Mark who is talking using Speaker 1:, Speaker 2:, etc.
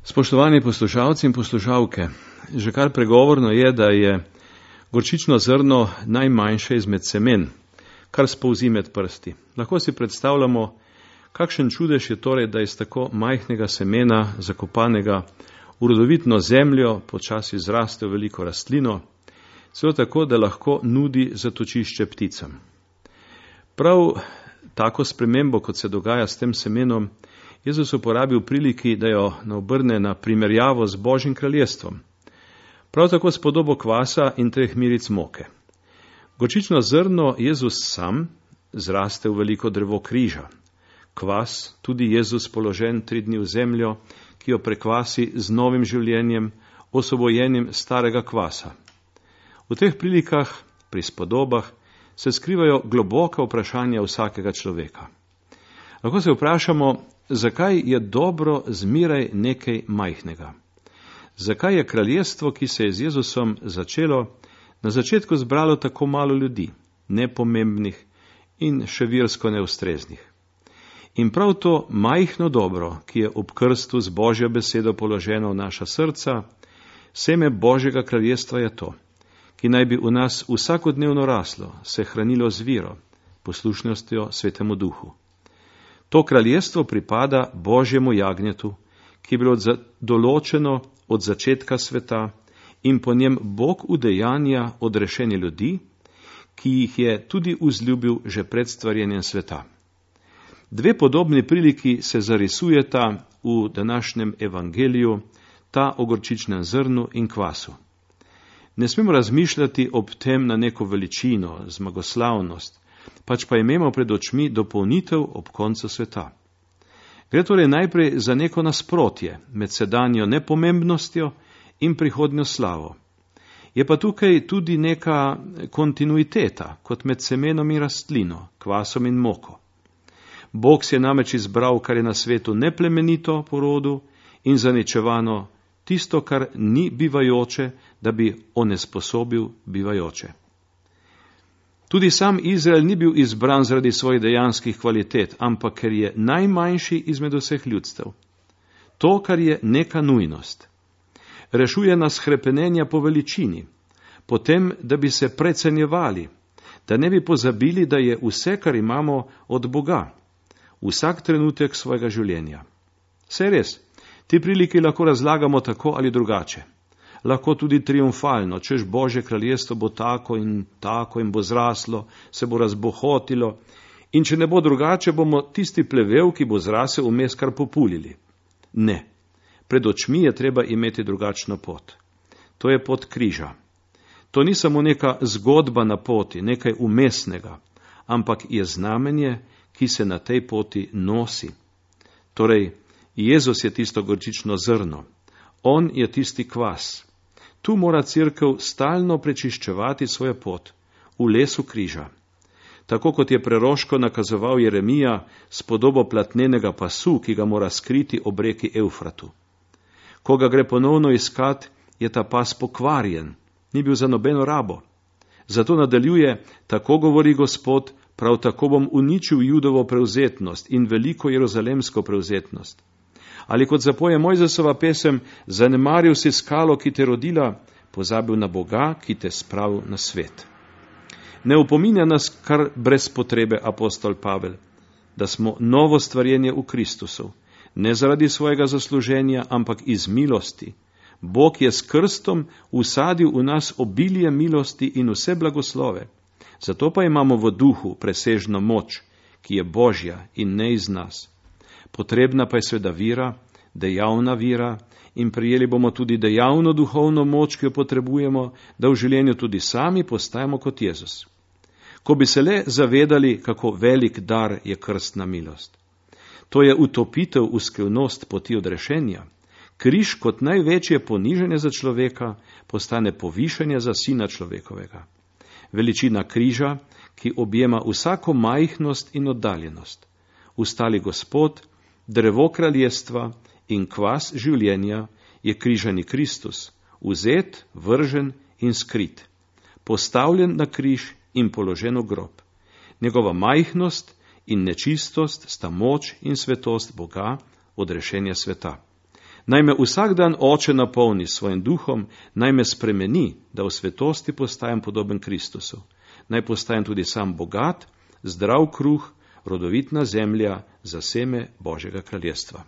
Speaker 1: Spoštovani poslušalci in poslušalke, že kar pregovorno je, da je gorčično zrno najmanjše izmed semen, kar spolzi med prsti. Lahko si predstavljamo, kakšen čudež je torej, da iz tako majhnega semena, zakopanega v rodovitno zemljo, počasi zraste v veliko rastlino, celo tako, da lahko nudi zatočišče pticam. Prav tako spremembo, kot se dogaja s tem semenom, Jezus uporabi v priliki, da jo obrne na primerjavo z Božjim kraljestvom. Prav tako s podobo kvasa in 3 miric moke. Gorčično zrno Jezus sam zraste v veliko drevo križa. Kvas, tudi Jezus položen 3 dni v zemljo, ki jo prekvasi z novim življenjem, osvobojenim starega kvasa. V teh prilikah, pri spodobah, se skrivajo globoka vprašanja vsakega človeka. Lahko se vprašamo, zakaj je dobro zmeraj nekaj majhnega? Zakaj je kraljestvo, ki se je z Jezusom začelo, na začetku zbralo tako malo ljudi, nepomembnih in še virsko neustreznih? In prav to majhno dobro, ki je ob krstu z Božjo besedo položeno v naša srca, seme Božjega kraljestva je to, ki naj bi v nas vsakodnevno raslo, se hranilo z vero, poslušnostjo Svetemu Duhu. To kraljestvo pripada Božjemu jagnjetu, ki je bilo določeno od začetka sveta in po njem Bog udejanja odrešenje ljudi, ki jih je tudi vzljubil že pred stvarjenjem sveta. 2 podobni priliki se zarisujeta v današnjem evangeliju, ta o gorčičnem zrnu in kvasu. Ne smemo razmišljati ob tem na neko veličino, zmagoslavnost, pač pa imamo pred očmi dopolnitev ob koncu sveta. Gre torej najprej za neko nasprotje med sedanjo nepomembnostjo in prihodnjo slavo. Je pa tukaj tudi neka kontinuiteta, kot med semenom in rastlino, kvasom in moko. Bog si je namreč izbral, kar je na svetu neplemenito po rodu in zaničevano, tisto, kar ni bivajoče, da bi onesposobil bivajoče. Tudi sam Izrael ni bil izbran zaradi svojih dejanskih kvalitet, ampak ker je najmanjši izmed vseh ljudstev. To, kar je neka nujnost. Rešuje nas hrepenenja po veličini, potem, da bi se precenjevali, da ne bi pozabili, da je vse, kar imamo, od Boga, vsak trenutek svojega življenja. Saj res, ti priliki lahko razlagamo tako ali drugače. Lahko tudi triumfalno, češ Božje kraljestvo bo tako in bo zraslo, se bo razbohotilo in če ne bo drugače, bomo tisti plevel, ki bo zrasel, vmes kar populili. Ne, pred očmi je treba imeti drugačno pot. To je pot križa. To ni samo neka zgodba na poti, nekaj umestnega, ampak je znamenje, ki se na tej poti nosi. Torej, Jezus je tisto gorčično zrno. On je tisti kvas. Tu mora cerkev stalno prečiščevati svojo pot, v lesu križa. Tako kot je preroško nakazoval Jeremija s podobo platnenega pasu, ki ga mora skriti ob reki Evfratu. Ko ga gre ponovno iskat, je ta pas pokvarjen, ni bil za nobeno rabo. Zato nadaljuje, tako govori Gospod, prav tako bom uničil Judovo prevzetnost in veliko jeruzalemsko prevzetnost. Ali kot zapoje Mojzesova pesem, zanemaril si skalo, ki te rodila, pozabil na Boga, ki te spravil na svet. Ne opominja nas kar brez potrebe apostol Pavel, da smo novo stvarjenje v Kristusu, ne zaradi svojega zasluženja, ampak iz milosti. Bog je s krstom usadil v nas obilje milosti in vse blagoslove. Zato pa imamo v duhu presežno moč, ki je Božja in ne iz nas. Potrebna pa je seveda vira, dejavna vira in prijeli bomo tudi dejavno duhovno moč, ki jo potrebujemo, da v življenju tudi sami postajamo kot Jezus. Ko bi se le zavedali, kako velik dar je krstna milost. To je utopitev v skrivnost poti odrešenja. Križ kot največje poniženje za človeka postane povišanje za sina človekovega. Veličina križa, ki objema vsako majhnost in oddaljenost. Ustali Gospod, drevo kraljestva in kvas življenja je križani Kristus, vzet, vržen in skrit, postavljen na križ in položen v grob. Njegova majhnost in nečistost sta moč in svetost Boga, odrešenja sveta. Naj me vsak dan Oče napolni s svojim duhom, naj me spremeni, da v svetosti postajam podoben Kristusu. Naj postajam tudi sam bogat, zdrav kruh, rodovitna zemlja za seme Božjega kraljestva.